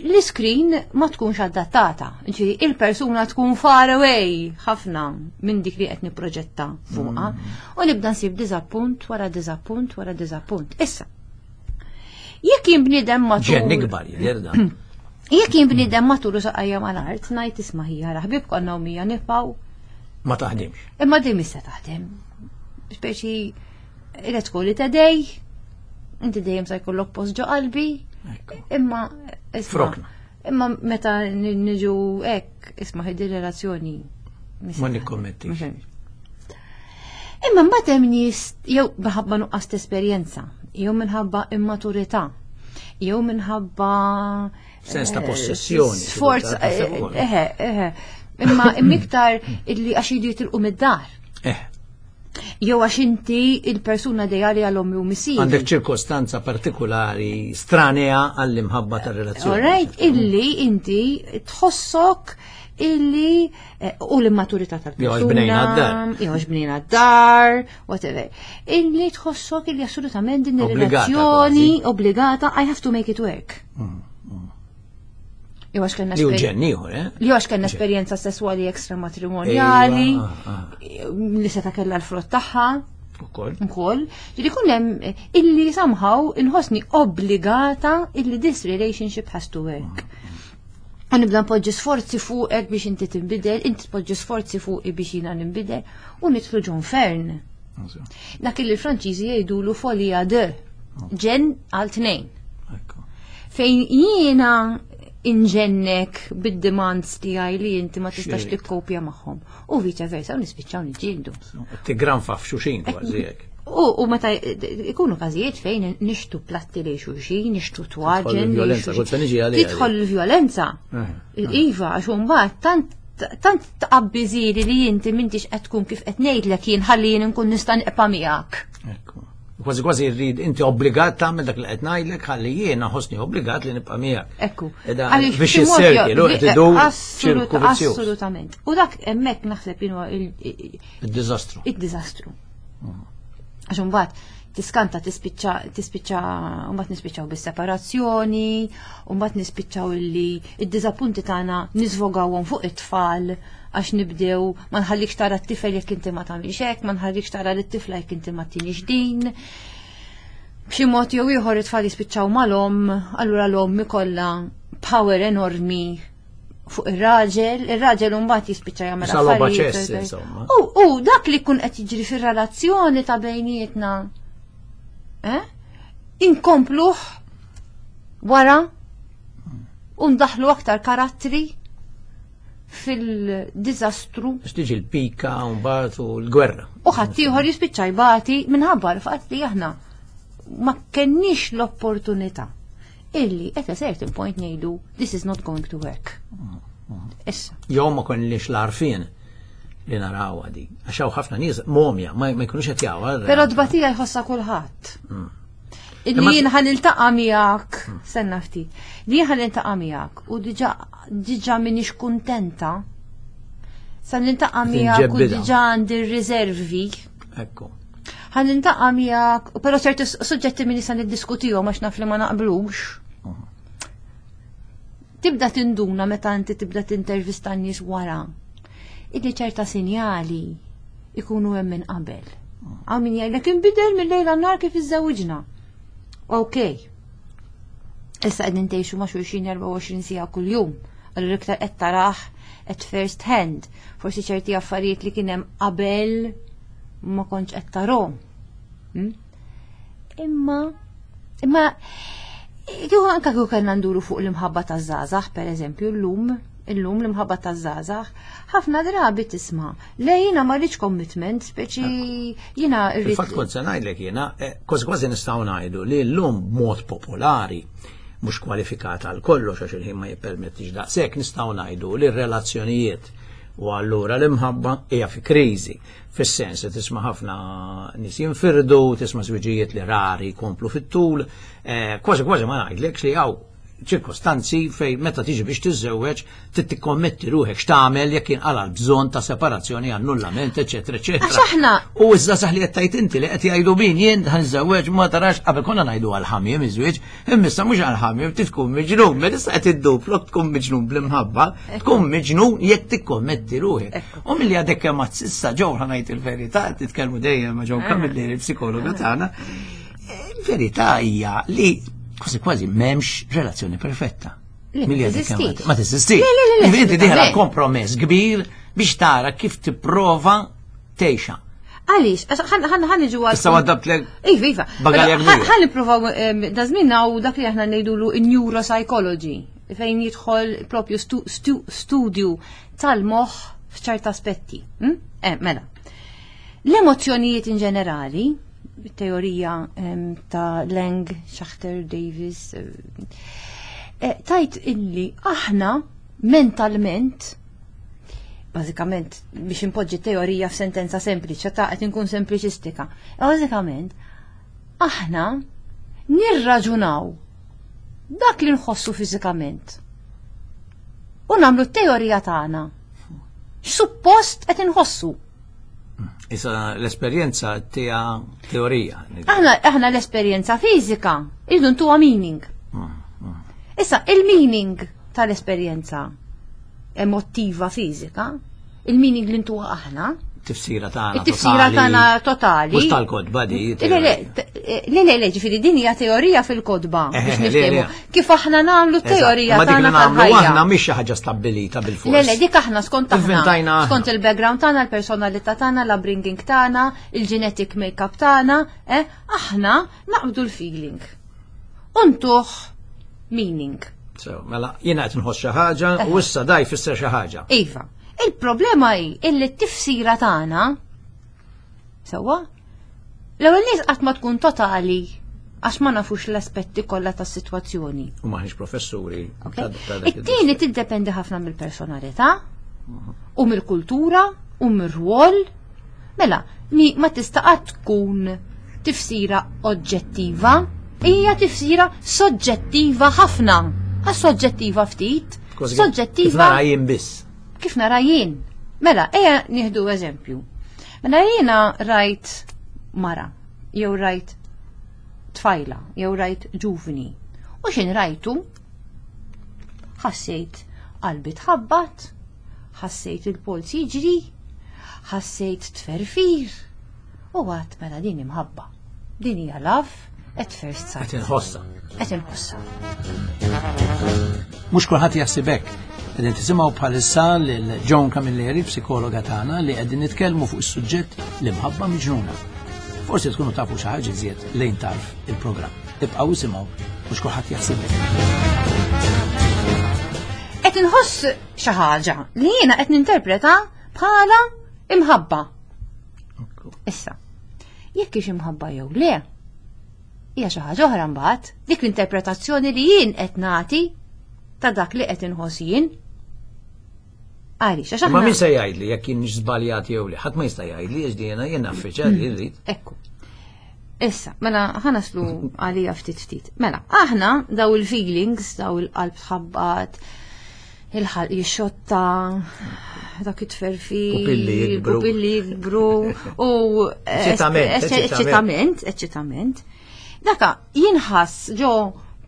l-screen ma tkunx adattata. Ġifieri il-persuna tkun far away ħafna minn dik li qed nipproġetta fuqha u nibda nsib diżappunt wara diżappunt wara diżappunt. Issa, jekk jien bniedem matur. Ġen ikbar jidher dan. Jekk jien bniedem matur u saqajja mal-art, ngħid isma' ħija ħbib konna u mija nifgħu Ma taħdimx. Imma din mista taħdem. Speċi, let's call it a day, inti dejjem sa jkollok post ġo qalbi, Ekku. imma isma' Frokna. Imma meta ni- niġu hekk, isma' ħidi relazzjoni. Ma nikkommettix. Imma mbagħad hemm nies jew minħabba nuqqas ta' esperjenza, jew minħabba immaturità, jew minħabba Sens ta' eh, possessjoni, Sforz, xi kultant, eh, eħe, eħe. Imma imma iktar illi għax jidu jitilqu mid-dar. Eh, Jew għax inti il-persuna ideali għal ommi u missieri. għandek ċirkostanza partikolari stranea għall-imħabba tar-relazzjoni. All right, illi inti tħossok illi eh, u l-immaturità Jew għax bnejna tal-persuna. d-dar. Jew għax bnejna d-dar, whatever. Illi tħossok illi assolutament din Obbligata ir-relazzjoni obbligata, I have to make it work. Jew għax kellna Li hu esper- ġenn ieħor, eh? li għax kellna esperjenza sesswali ekstramatrimoniali, Ejwa, ah, li seta kellha l-frott tagħha Ukoll. ukoll. Ġieli kun hemm illi somehow inħossni obbligata illi this relationship has to work. U nibda npoġġi sforzi fuqek biex inti tinbidel, inti tpoġġi sforzi fuqi biex jiena ninbidel, u nidħlu ġo infern. Dak li l-Franċiżi jgħidulu folie à deux. Ġenn għal tnejn. Ekku. Fejn jiena inġennek bid-demands tiegħi li inti ma tistax Xirrid. tikkopja magħhom. U vice versa, u nispiċċaw niġġieldu. Tigranfa f'xulxin kważi hekk. U, u meta ikunu każijiet fejn nixtru platti lil xulxin, nixtru twaġen. lil il-vjolenza, xulxin. kont se niġi għaliha Tidħol il-vjolenza. Eh, Iva, għax mbagħad tant tant tqabbiżili li inti m'intix qed tkun kif qed ngħidlek jien, ħalli jien nkun nista' nibqa' miegħek. Ekku. Kważi kważi rrid inti obbligat tagħmel dak li qed ngħidlek ħalli jiena ħossni obbligat li nibqa' miegħek. Ekku. Eda, Għaliex biex b'xi mod is-circle, jo- u qed idur Assolut- ċirku vizzjuż. Assolutament. U dak hemmhekk naħseb jien huwa il- il- Id-diżastru. id-diżastru. Għax imbagħad tiskanta, tispiċċa tispiċċa mbagħad nispiċċaw bis-separazzjoni, u mbagħad nispiċċaw illi id-diżappunti tagħna niżvogawhom fuq it-tfal, għax nibdew ma nħallikx tara t-tifel jekk inti ma tagħmilx hekk, ma nħallikx tara lit-tifla jekk inti ma tinix din. B'xi mod jew ieħor it-tfal jispiċċaw mal-omm, allura l-omm ikollha power enormi fuq ir-raġel, ir-raġel mbagħad jispiċċa jagħmel Sa logħba affarijiet. ċess, insomma. U u dak li jkun qed jiġri fir-relazzjoni ta' bejnietna. Eh? Inkompluh wara u ndaħlu aktar karattri fil-diżastru. Biex tiġi l-pika u mbagħad u l-gwerra. U ħaddieħor jispiċċa jbati minħabba l-fatt li aħna ma kenniex l-opportunità illi at a certain point ngħidu, "This is not going to work." Issa. Jew ma konniex l-għarfien li naraw di. Għax hawn ħafna nies momja, ma ma jkunux qed jawha. Però tbatija jħossha kulħadd. Illi Imma- jien ħa niltaqa' miegħek, senna ftit. Li jien ħa niltaqa' miegħek u diġà diġà m'iniex kuntenta. Sa niltaqa' miegħek u Tinġebbida. diġà għandi r-riservi. Ekku. Ħa niltaqa' miegħek, però ċerti suġġetti minni sa niddiskutihom għax naf li ma naqblux. Tibda tinduna meta inti tibda tintervista n-nies wara illi ċerta sinjali ikunu hemm minn qabel. Hawn min jgħidlek inbidel mill-lejl għan-nhar kif iżżewġna. Ok. Issa qegħdin tgħixu ma' xulxin erbgħa u għoxrin siegħa kuljum. Allura iktar qed tarah at first hand. Forsi ċerti affarijiet li kien hemm qabel ma kontx qed tarahom. Hmm? Imma imma kieku anka kieku kellna nduru fuq l-imħabba taż-żgħażagħ, per eżempju, llum, illum l-imħabba taż-żgħażagħ, ħafna drabi tisma', "Le, jiena ma rridx commitment, speċi jiena rrid." Fil-fatt kont se ngħidlek jiena, eh, kważi kważi nistgħu ngħidu li llum b'mod popolari, mhux kwalifikata għal kollox għax il-ħin ma jippermettix daqshekk, nistgħu ngħidu li r-relazzjonijiet u allura l-imħabba hija fi kriżi. Fis-sens li tisma' ħafna nies jinfirdu, tisma' żwiġijiet li rari jkomplu fit-tul, eh, kważi kważi ma ngħidlekx li hawn ċirkostanzi fej meta tiġi biex tiżżewweġ trid tikkommetti ruħek x'tagħmel jekk jinqala l-bżonn ta' separazzjoni, annullament, eċetera, eċetera. Għax aħna- U iżda saħ li qed tgħid inti li qed jgħidu min jien ħa niżżewweġ, ma tarax, qabel konna ngħidu għal-ħamiem iż-żwieġ, imma issa mhux għal-ħamiem, trid tkun miġnun, mela issa qed idduplu tkun miġnun bl-imħabba, tkun miġnun jekk tikkommetti ruħek. U milli għadek kemm s'issa ġew, ħa ngħid il-verità, titkellmu dejjem ma' Joe Camilleri, il-psikologa tagħna, il-verità hija li kważi kważi m'hemmx relazzjoni perfetta. Le, Milli ma għadek kemm teżistix. Ma teżistix. Le, le, le, le, Inti dieħla assolutament. kompromess kbir biex tara kif tipprova tgħixha. Għaliex, għax ħan ħan ħan niġu għal. Issa waddabtlek Iva, iva. bagalja Mela, kbira. Ħan nippruvaw da żmien u dak li aħna ngħidulu neuropsychology, fejn jidħol propju stu, stu, studju tal-moħħ f'ċerta aspetti. Hm? Eh, mela. L-emozzjonijiet in ġenerali, teorija em, ta' Lang, Schachter, Davis, eh, eh, tajt illi aħna mentalment, bażikament biex impoġġi teorija f'sentenza sempliċi, ta' qed inkun sempliċistika. Bażikament, aħna nirraġunaw dak li nħossu fiżikament. U nagħmlu t-teorija tagħna. X'suppost qed inħossu. Issa l-esperjenza tija teorija. Aħna aħna l-esperjenza fiżika irridu ntuha meaning. Issa il-meaning tal-esperjenza emotiva fiżika, il-meaning li ntuha aħna, Tifsira tagħna. it-tifsira tagħna totali. Mhux tal-kotba di. Le, le, le, le, le, ġifieri din hija teorija fil-kotba Eh, biex le, le. niftehmu. Kif aħna nagħmlu t-teorija Ma dik li tagħna nagħmlu tal-ħajja. aħna mhix xi ħaġa stabbilita bil-fors. Le, le, dik aħna skont aħna. Ivvintajna aħna. Skont il-background tagħna, il-personalità tagħna, l-upbringing tagħna, il-genetic make-up tagħna, eh, aħna naqbdu l-feeling. Untuh meaning. So, mela, jiena qed nħoss xi ħaġa u issa da jfisser xi ħaġa. Iva, il-problema hi illi t-tifsira tagħna sewwa l-ewwel nies qatt ma tkun totali għax ma nafux l-aspetti kollha tas-sitwazzjoni. U maħniex professuri. Okay? ta' ta' dak It-tieni tiddependi ħafna mill-personalità u mill-kultura u mir-rwol. Mela, mi ma tista' qatt tkun tifsira oġġettiva, hija tifsira soġġettiva ħafna. Għax soġġettiva ftit, Kważi kif soġġettiva nara jien biss. kif nara jien. Mela, ejja nieħdu eżempju. Mela jiena rajt mara, jew rajt tfajla, jew rajt ġuvni. U xin rajtu? Ħassejt qalbi tħabbat, ħassejt il-polz jiġri, ħassejt tferfir. U għedt mela din imħabba. Din hija love at first sight. Qed inħossha. Qed inħossha. Mhux kulħadd jaħseb hekk. Qegħdin tisimgħu bħalissa lil Joan Camilleri, psikologa tagħna, li qegħdin nitkellmu fuq is-suġġett l-imħabba miġnuna. Forsi tkunu tafu xi ħaġa iżjed lejn tarf il-programm. Ibqgħu isimgħu mhux kulħadd jaħseb hekk. Qed inħoss xi ħaġa li jiena qed ninterpreta bħala imħabba. Issa, jekk hix imħabba jew le, hija xi ħaġa oħra mbagħad, dik l-interpretazzjoni li jien qed nagħti ta' dak li qed inħoss jien. Għaliex, għax Ma aħna min se jgħidli jekk jien żbaljat jew le, ħadd ma jista' jgħidli għax jiena jien naffiċa li rrid. Ekku. Issa, mela ħa naslu għalija ftit ftit. Mela, aħna daw il-feelings, daw il-qalb tħabbat, il-ħalq jixxotta, dak it-tferfir, Pupilli jikbru. pupilli jikbru, u Eċitament, eċitament, eċitament. Daka jinħass ġo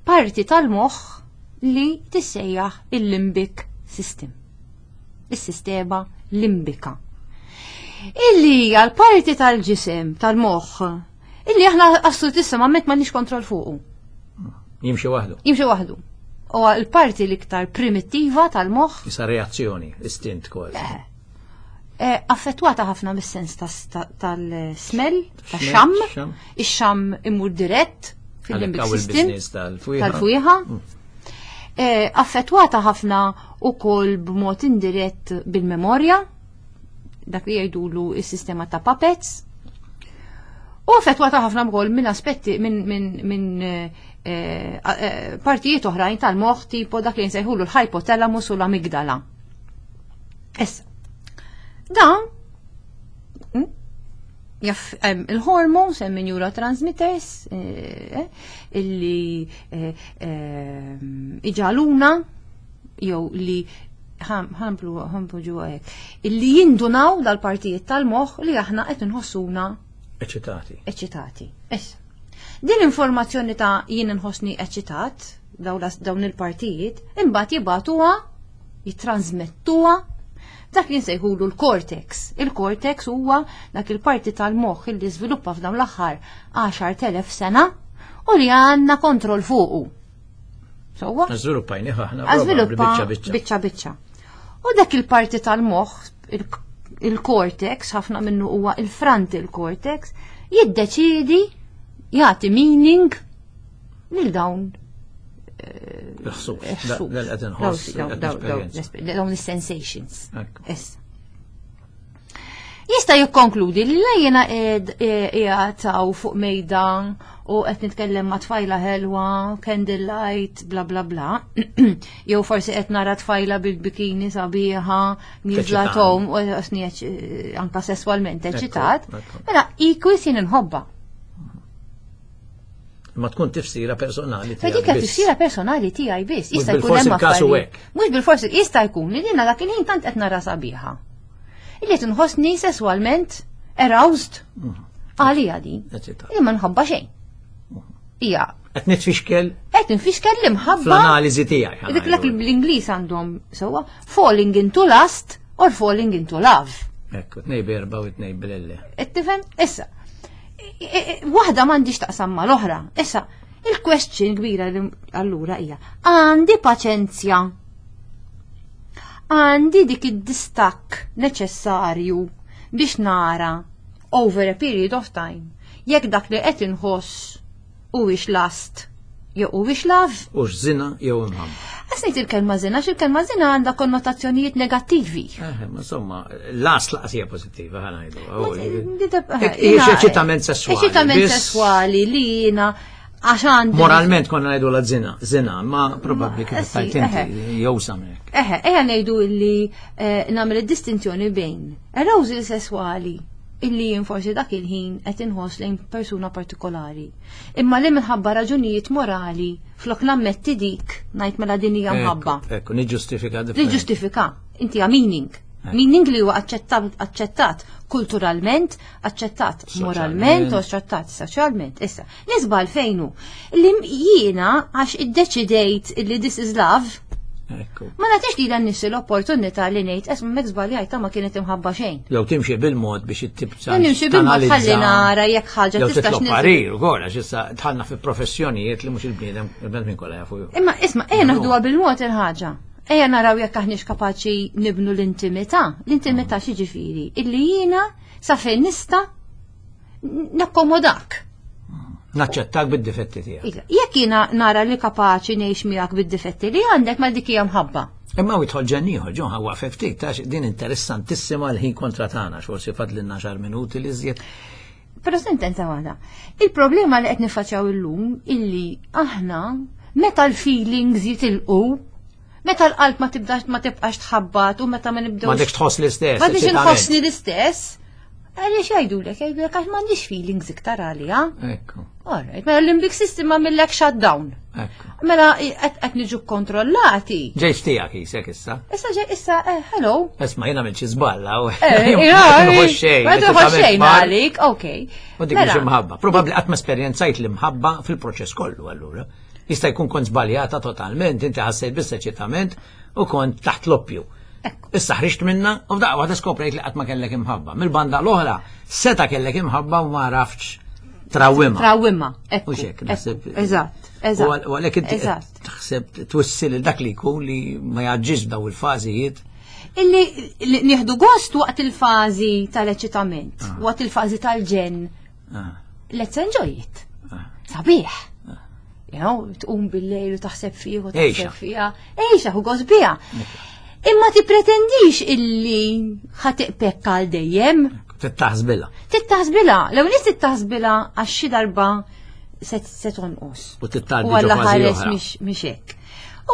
parti tal-moħħ li tissejjaħ il-limbic system. Is-sistema limbika. Illi hija l-parti tal-ġisem, tal-moħħ, illi aħna assolutissimament m'għandniex kontroll fuqu. Jimxi waħdu. Jimxi waħdu. U l-parti l-iktar primittiva tal-moħħ Issa reazzjoni, istint kważi. eh, affettwata ħafna mis-sens tas- ta- tal-smell, tax-xam, xam. ix-xam imur dirett fil-limbic Għalhekk hawn system il-business tal-fwieħa. tal-fwieħa. Eh, Affettwata ħafna ukoll b'mod indirett bil-memorja, dak li jgħidulu is-sistema ta' puppets. U affettwata ħafna wkoll minn aspetti minn min, min, eh, eh, eh, partijiet oħrajn tal-moħħ tipo dak li nsejħulu l-hypothalamus u l-amigdala. Issa, dan mm, jaff hemm il-hormones, hemm neurotransmitters eh, illi eh, eh, iġaluna jew li ħamplu ħamplu ġuwa hekk, illi jindunaw dal-partijiet tal-moħħ li aħna qed inħossuna Eċitati. eċitati. Issa, din informazzjoni ta' jien inħossni eċitat, daw las- dawn il-partijiet, imbagħad jibatuha, jitransmettuha dak li nsejħulu l-cortex. Il-cortex huwa dak il-parti tal-moħħ illi żviluppa f'dawn l-aħħar għaxart elef sena u li għandna kontroll fuqu. Sewwa? Żviluppajni aħna Żviluppa biċċa biċċa. biċċa biċċa. U dak il-parti tal-moħħ, il- il-cortex, ħafna minnu huwa il-frontal cortex, jiddeċidi jagħti meaning lil dawn Il-ħsus. il-ħsus. Dal qed inħoss. Dawn- qed dawn- dawn- nesperjenza. Dawn is-sensations. Ekku. Issa. Jista' jikkonkludi li la jiena qiegħed fuq mejda u qed nitkellem ma' tfajla ħelwa, candlelight, bla bla bla. Jew forsi qed nara tfajla bil-bikini sabiħa, nieżla Eċitani. tom u qed anka sesswalment eċitat. ekku. Mela equals jien inħobba. Ma tkun tifsira personali Fa dik tiegħek biss. tifsira personali tiegħi biss. Mhux Jista' jkun bilfors hemm il-każ hu affarijiet. hekk. Mhux bilfors jista' jkun li jiena dak il-ħin tant qed nara sabiħa. Illi qed inħossni sesswalment aroused għalija din. Eċitat. Li ma nħobba xejn. Hija Qed nitfixkel qed nfixkel l-imħabba fl-analiżi tiegħi. Dik dak bl-Ingliż għandhom sewwa falling into lust or falling into love. Ekku, tnej berba u tnej blelle. Qed tifhem? Issa, i- i- waħda m'għandix taqsam mal-oħra. Issa, il-question kbira li allura hija għandi paċenzja. Għandi dik id-distakk neċessarju biex nara over a period of time jekk dak li qed inħoss huwiex lust jew huwiex love. Ux zina jew imħabba. Lanqas ngħid il-kelma żina, għax il-kelma żina għandha konnotazzjonijiet negattivi. Eh, ma insomma, l-as laqas hija pożittiva, ħa ngħidu. Eh, Eċitament sessuali. Eċitament biss sessuali li jiena għax għandi. Moralment konna ngħidu la zina, zina, ma probabbli kif Eh, sì, tajt inti jew samek. Eħe, eħe ngħidu illi eh, nagħmel id-distinzjoni bejn arousal sessuali illi jien forsi dak il-ħin qed inħoss lejn persuna partikolari. Imma li minħabba raġunijiet morali flok nammetti dik ngħid mela din hija mħabba. Ekku, niġġustifika Li ġustifika, inti ha meaning. Meaning li huwa aċċettat aċċettat kulturalment, aċċettat moralment u aċċettat soċjalment. Issa, nisbal fejnu li jiena għax iddeċidejt li this is love, Ekku. ma nagħtix li dan nifsi l-opportunità li ngħid esma mek żbaljajta ma kienet imħabba xejn. Jew timxi bil-mod biex it-tibsa. Jew nimxi bil-mod ħalli nara jekk ħaġa Jew tistax titlob nil- parir ukoll għax issa dħalna fi professjonijiet li mhux il-bniedem il-bnedmin kollha jafu. Imma isma' ejja naħduha bil-mod il-ħaġa. Ejja naraw jekk aħniex kapaċi nibnu l-intimità. L-intimità xi Illi jiena sa fejn nista' nakkomodak. Naċċettak bid-difetti tiegħek. Iva, Jekk jiena nara li kapaċi ngħix miegħek bid-difetti li għandek ma dik hija mħabba. Imma u jidħol ġenn ieħor, ġon ħa waqfek ftit, għax din interessantissima l-ħin kontra tagħna, forsi fadlilna xar minuti li żjed. Però sentenza waħda. Il-problema li qed nifaċċjaw illum illi aħna meta l-feelings jitilqu, meta l-qalb ma tibdax ma tibqax tħabbat u meta ma nibdewx Ma dekx tħoss l-istess. Ma biex eċitament. inħossni l-istess. Għaliex jgħidulek, jgħidulek għax m'għandix feelings iktar għalija. Ekku, Alright, mela l-limbic system għamillek shutdown. ekku. Mela qed qed niġu kontrollati. Ġejx tiegħek jisek issa. Issa ġej issa, eh, hello. Isma' jiena għamilt xi żballa u Eh, ma nħoss xejn. Ma tħoss xejn mar. għalik, okej. U dik Mela, mhux imħabba. Probabbli qatt ma esperjenzajt l-imħabba fil-proċess kollu allura. Jista' jkun kont żbaljata totalment, inti ħassejt biss eċitament u kont taħt l-oppju. Ekku. Issa ħriġt minna u f'daqqa waħda skoprejt li qatt ma kellek imħabba. Mill-banda l-oħra, seta kellek imħabba u ma għaraftx trawwimha. Trawwimha, ekku. U xek, ekku, naħseb. Eżatt, eżatt. U għal- u għalhekk inti qed Eżatt. taħseb twissil lil dak li jkun li ma jaġġix b'daw il-fażijiet. Illi li nieħdu gost waqt il-fażi tal-eċitament, waqt il-fażi tal-ġenn. Ah, Let's enjoy it. ah. Sabiħ. You know, tqum bil-lejl u taħseb fih u Ejxa. taħseb fiha. Ejxa, hu gost biha. Imma ti pretendix illi ħa tibqa' għal dejjem. Tittaħsbilha. Tittaħsbilha, l nies tittaħsbilha għax xi darba se se tonqos. U tittgħaddi U Alla ġo fażi ħares oħra. mhix mhix hekk.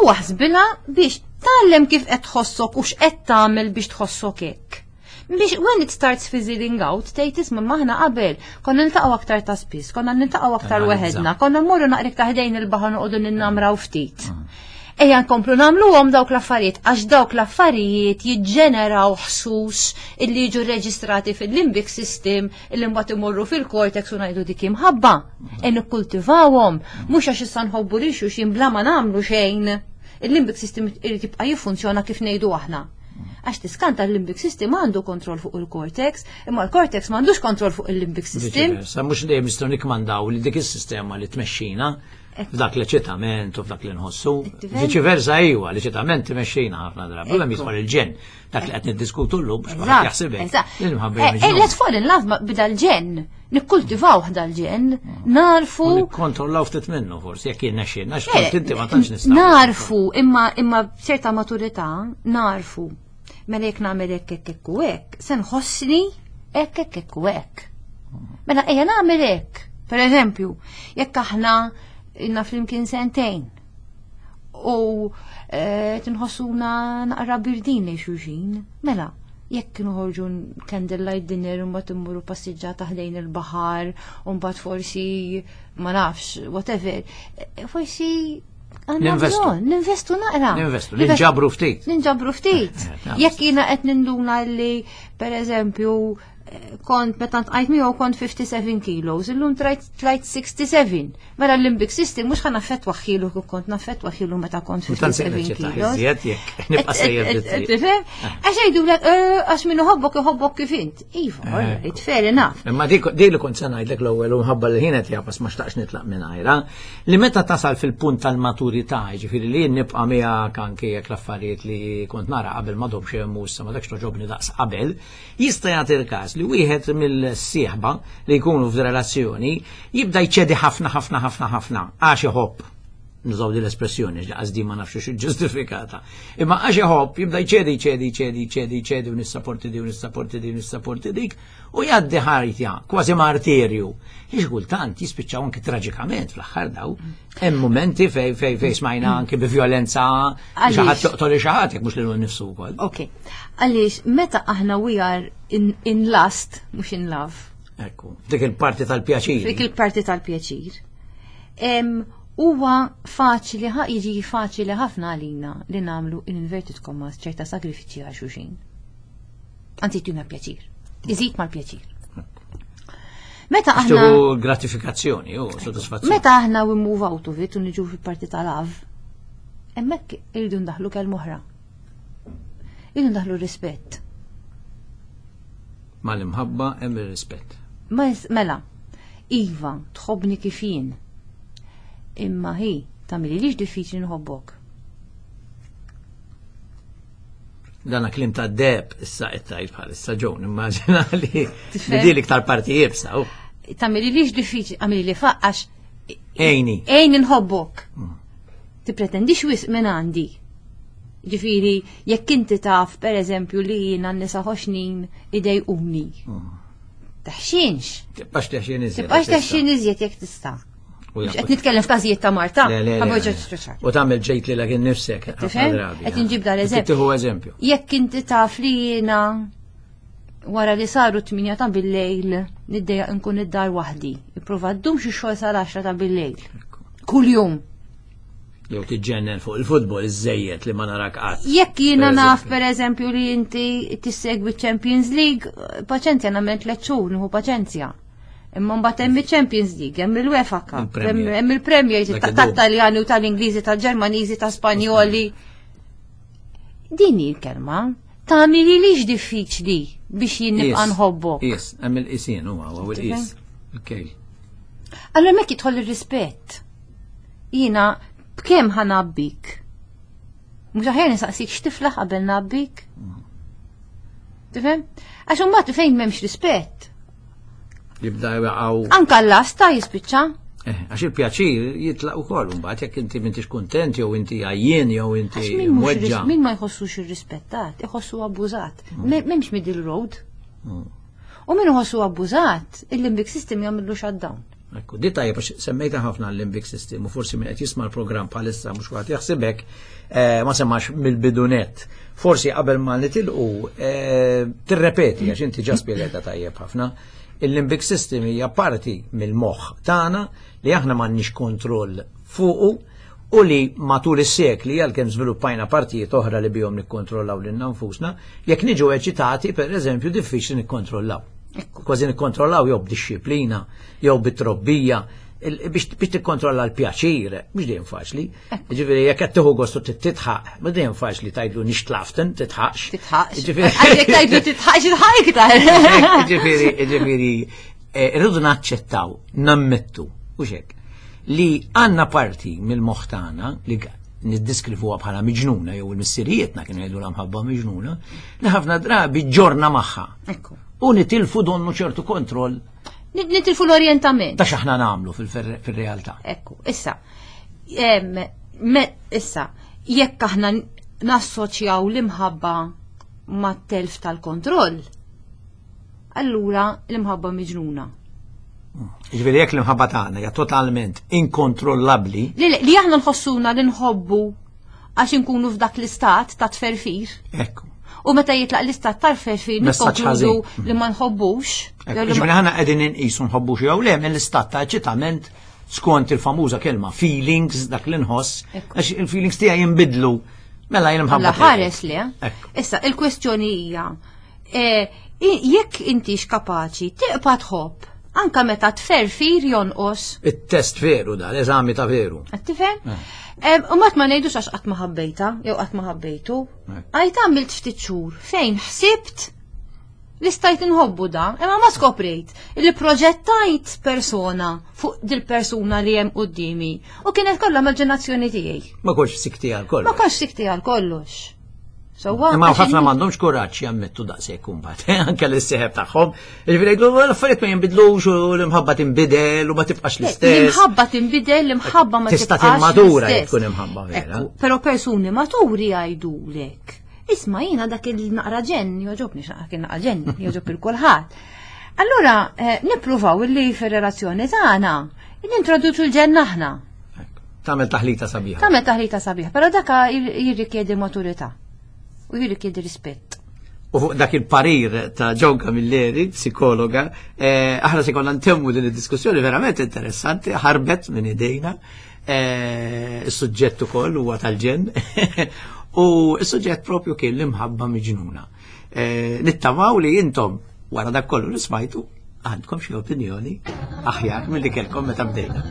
U aħsbilha biex tgħallem kif qed tħossok u x'qed tagħmel biex tħossok hekk. Biex when it starts fizzling out, tgħid isma' maħna qabel, konna niltaqgħu aktar ta' spiss, konna niltaqgħu aktar Tanalizza. weħedna, konna mmorru naqra ta' ħdejn il-baħar noqogħdu ninnamraw ftit. Ejja nkomplu nagħmluhom dawk l-affarijiet għax dawk l-affarijiet jiġġeneraw ħsus illi jiġu reġistrati fil-limbic system illi mbagħad imorru fil-cortex u ngħidu dik imħabba. E nikkultivawhom mhux għax issa nħobbu lil xulxin bla ma nagħmlu xejn. Il-limbic system irid jibqa' jiffunzjona kif ngħidu aħna. Għax tiskanta l-limbic system għandu kontroll fuq il-cortex, imma l-cortex m'għandux kontroll fuq il-limbic system. Sa mhux dejjem nistgħu nikmandaw li dik is-sistema li tmexxina f'dak l-eċitament u f'dak li nħossu. Tifhem? Viċi versa iwa, l-eċitament tmexxina ħafna drabi. U hemm jidħol il-ġenn. Dak li qed niddiskutu llum biex kulħadd jaħsibek. Eżatt. Il-mħabba Eh, eh, Let's fall in love ma- b'dal-ġenn. Nikkultivaw dal-ġenn, narfu. U nikkontrollaw ftit minnu forsi jekk jirnexxielna, għax Eh, kont inti ma tantx nistgħu. Narfu, imma imma b'ċerta maturità, narfu. Mela jekk nagħmel hekk hekk hekk u hekk, se nħossni hekk hekk hekk u hekk. Mela ejja nagħmel hekk. Per eżempju, jekk aħna ilna flimkien sentejn u eh, tinħossuna naqra birdin lejn xulxin, mela jekk noħorġu candlelight dinner u mbagħad immorru passiġġata ħdejn il-baħar u mbagħad forsi ma nafx, whatever, eh, forsi għandna Ninvestu. bżonn, ninvestu naqra. Ninvestu, ninġabru ftit. Ninġabru ftit. Eh, eh, Jekk jiena qed ninduna li per eżempju eh, kont meta ntqajt miegħu kont fifty-seven kilos, illum tlajt tlajt sixty-seven. Mela l-limbic system mhux ħa naffettwa ħilu kif kont naffettwa ħilu meta kont U tant se fifty-seven neċċetta kilos. iżjed jekk nibqa' sejjer bit-triq. Tifhem? Għax jgħidulek eh, għax min iħobbok iħobbok kif int. Iva, alright, fair enough. Imma dik dik li kont se ngħidlek l-ewwel u mħabba li ħin qed jafas ma xtaqx nitlaq mingħajra, li meta tasal fil-punt tal-maturità, jiġifieri li jien nibqa' miegħek anke jekk l-affarijiet li kont nara qabel ma domx hemm issa ma dakx toġobni daqs qabel, jista' jagħti l-każ li wieħed mill-sieħba li jkunu f'relazzjoni jibda jċedi ħafna ħafna ħafna ħafna għax iħobb. Nużaw din l-espressjoni, għax ma nafx xi ġustifikata. Imma għax iħobb jibda jċedi, jċedi, jċedi, jċedi, jċedi, u nissaporti di, u nissaporti di, u nissaporti dik, u jgħaddi ħajja, kważi martirju. Li kultant jispiċċaw anki traġikament fl-aħħar daw. Hemm momenti fej fej fej smajna anki bi violenza xi ħadd joqtol xi ħadd jekk mhux lilu nnifsu wkoll. Ok. Għaliex meta aħna we are in, in lust, mhux in love. Ekku, dik il-parti tal-pjaċir. Dik il-parti tal-pjaċir. Huwa faċli, jiġi faċli ħafna għalina li nagħmlu in inverted commas ċerta sagrifiċċji għal xulxin. Anzi tuna pjaċir. Iżid mal-pjaċir. Meta aħna gratifikazzjoni u soddisfazzjoni. Meta aħna we move out of it u niġu fil-parti tal-love, hemmhekk irridu ndaħlu kelma oħra. Irridu ndaħlu rispett. Mal-imħabba hemm ir-rispett. Mela, iva, tħobbni kif jien. Imma hi, tagħmilix li diffiċli nħobbok. Dana klim ta' deb issa qed tgħid bħalissa ġew, immaġina li li iktar parti jibsa. Tagħmilix li diffiċli, għamili li faqqax. Ejni. Ejni nħobbok. Mm. Tippretendix wisq minn għandi. Ġifieri, jekk inti taf, per eżempju, li jiena nisa ħoxnin idejquni. Mm. Taħxinx. Tibqax teħxin iżjed. Tibqax teħxin iżjed jekk tista'. Qed nitkellem f'każijiet ta' Marta. U tagħmel ġejt lilek innifsek. Qed inġib dal eżempju. Tieħu eżempju. Jekk inti taf li jiena wara li saru tminja ta' bil-lejl niddejjaq nkun id-dar waħdi. Ipprova ddum xi xogħol sal-għaxra ta' bil-lejl. Kuljum. Jew tiġġennen fuq il-futbol iżejjed li ma narak qatt. Jekk jiena naf pereżempju li inti tissegwi Champions League, paċenzja nagħmel tliet xhur nieħu paċenzja. Imma mbagħad hemm il-Champions League, hemm il-UEFA Cup, hemm il-Premier tat-Taljani u tal-Ingliżi, tal-Ġermaniżi, tal-Spanjoli. Din hi l-kelma. Tagħmilix diffiċli biex jien nibqa' nħobbok. Is, hemm il-qisien huwa huwa il-qis. Il-kejl. Allura hemmhekk jidħol ir-rispett. Jiena b'kemm ħa nabbik? Mhux aħjar nistaqsik x'tiflaħ qabel nabbik? Tifhem? Għax imbagħad fejn m'hemmx rispett. Jibda jaqgħu. Anka l-lasta jispiċċa. Eh, għax il-pjaċir jitlaq ukoll imbagħad jekk inti m'intix kuntent jew inti għajjien jew inti mweġġa. Min ma jħossux irrispettat, iħossu abbużat. M'hemmx middle road. U min iħossu abbużat, il-limbic system jagħmillu shutdown. Ekku, di tajjeb għax semmejta ħafna l-limbic system u forsi min qed jisma' l-programm bħalissa mhux waqt jaħsibek ma semmax mill-bidunet. Forsi qabel ma nitilqu tirrepeti għax inti ġa spjegajta tajjeb ħafna. Il-limbic system hija parti mill-moħħ tagħna li aħna m'għandniex kontroll fuqu u li matul is-sekli għalkemm żviluppajna partijiet oħra li bihom nikkontrollaw lilna nfusna, jekk niġu eċitati pereżempju diffiċli nikkontrollaw. Kważi nikkontrollaw jew b'dixxiplina, jew bit-trobbija, biex tikkontrolla l-pjaċir, mhux dejjem faċli. Ġifieri jekk qed tieħu gostu titħaq, mhux dejjem faċli tgħidlu nixtlaften, titħaqx. Titħaqx. Jekk tgħidlu titħaqx, titħaq iktar. Ġifieri, ġifieri, irridu naċċettaw, nammettu, u xek, li għandna parti mill-moħħ tagħna li niddiskrivuha bħala miġnuna jew il-missirijietna kienu jgħidu l-mħabba miġnuna, li ħafna drabi ġorna magħha. U nitilfu donnu ċertu kontroll. Nitilfu l-orientament. Ta' x'aħna nagħmlu fil-realtà. Ekku, issa, issa, jekk aħna nassoċjaw l-imħabba mat-telf tal-kontroll, allura l-imħabba miġnuna. Ġifieri jekk l-imħabba tagħna hija totalment inkontrollabbli. Li aħna nħossuna li nħobbu għax inkunu f'dak l-istat ta' tferfir. Ekku. U meta jitlaq l-istat tal-ferfir nikkonkludu li ma nħobbux. Ġifieri aħna qegħdin inqisu nħobbux jew le mill-istat ta' eċitament skont il-famuża kelma feelings dak li nħoss, għax il-feelings tiegħi jinbidlu mela jien imħabba. Ħares li. Issa il-kwestjoni hija jekk intix kapaċi tiqpa' tħobb anka meta tferfir jonqos. It-test veru da, l-eżami ta' veru. Qed tifhem? U mat ma ngħidux għax qatt ma ħabbejta, jew qatt ma ħabbejtu. Għajt għamilt ftit xhur fejn ħsibt li stajt inħobbu da, imma ma skoprejt li proġettajt persona fuq dil-persuna li hemm quddiemi u kienet kollha immaġinazzjoni tiegħi. Ma kontx sikti għal kollox. Ma kontx sikti għal kollox. Sewwa, Imma għax ħafna in- m'għandhomx kuraġġ jammettu daqshekk imbagħad, anke lis-sieħeb tagħhom. Jiġifieri jgħidu l-affarijiet ma jinbidlux u l-imħabba tinbidel u ma tibqax l-istess. L-imħabba tinbidel, l-imħabba ma Tista' tibqax timmadura l-istess. jekk tkun imħabba vera. Ekku, Però persuni maturi jgħidulek. Isma' jiena dak il-naqra ġenn, jogħġobni x'naqra kien naqra ġenn, jogħġob il kulħadd. Allura, eh, nippruvaw illi fir-relazzjoni tagħna nintroduċu l-ġenn aħna. Ekku. Tagħmel taħlita sabiħa. Tagħmel taħlita sabiħa, però daka jir- jirrikjedi maturità u jirrikjedi rispett. U fuq dak il-parir ta' John Camilleri, psikologa, eh, aħna se konna ntemmu din id-diskussjoni verament interessanti, ħarbet minn idejna, eh, is-suġġett ukoll huwa tal-ġenn, u s-suġġett propju kien l-imħabba miġnuna. Eh, nittamaw li intom wara dak kollu li smajtu għandkom xi opinjoni aħjar milli kellkom meta bdejna.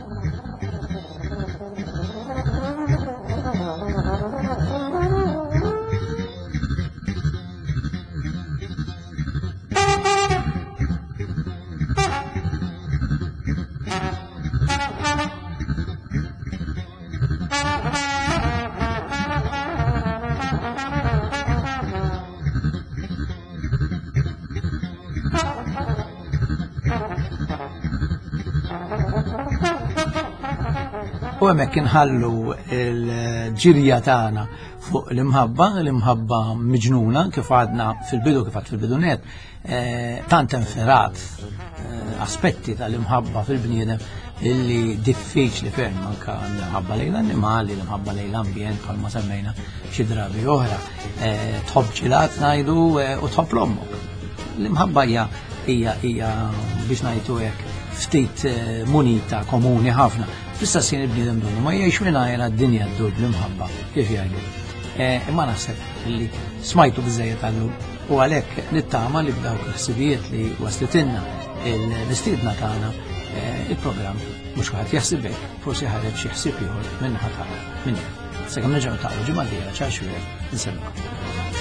U hemmhekk inħallu l-ġirja tagħna fuq l-imħabba, l-imħabba miġnuna, kif għadna fil-bidu, kif għad fil-bidu net, eh, tant inferat eh, aspetti tal-imħabba fil-bniedem illi diffiċli ferm anka l-imħabba lejn l-annimali, l-imħabba lejn l-ambjent bħalma semmejna xi drabi oħra. Eh, Tħobb ġilat ngħidu eh, u tħobb l-ommok. L-imħabba hija hija hija biex ngħidu hekk ftit eh, munita komuni ħafna. Fl-istess ħin il-bniedem donnu ma jgħix mingħajr d-dinja ddur bl-imħabba, kif jgħidu. Eh, Imma naħseb li smajtu biżejjed għallum u għalhekk nittama li b'dawk il-ħsibijiet li waslitilna il-mistiedna tagħna eh, il-programm mhux kulħadd jaħseb hekk, forsi ħareġ xi ħsieb ieħor minn ħadd tagħna minn. Sakemm nerġgħu niltaqgħu ġimgħa d-dieħla ċar xwieq, insellmilkom.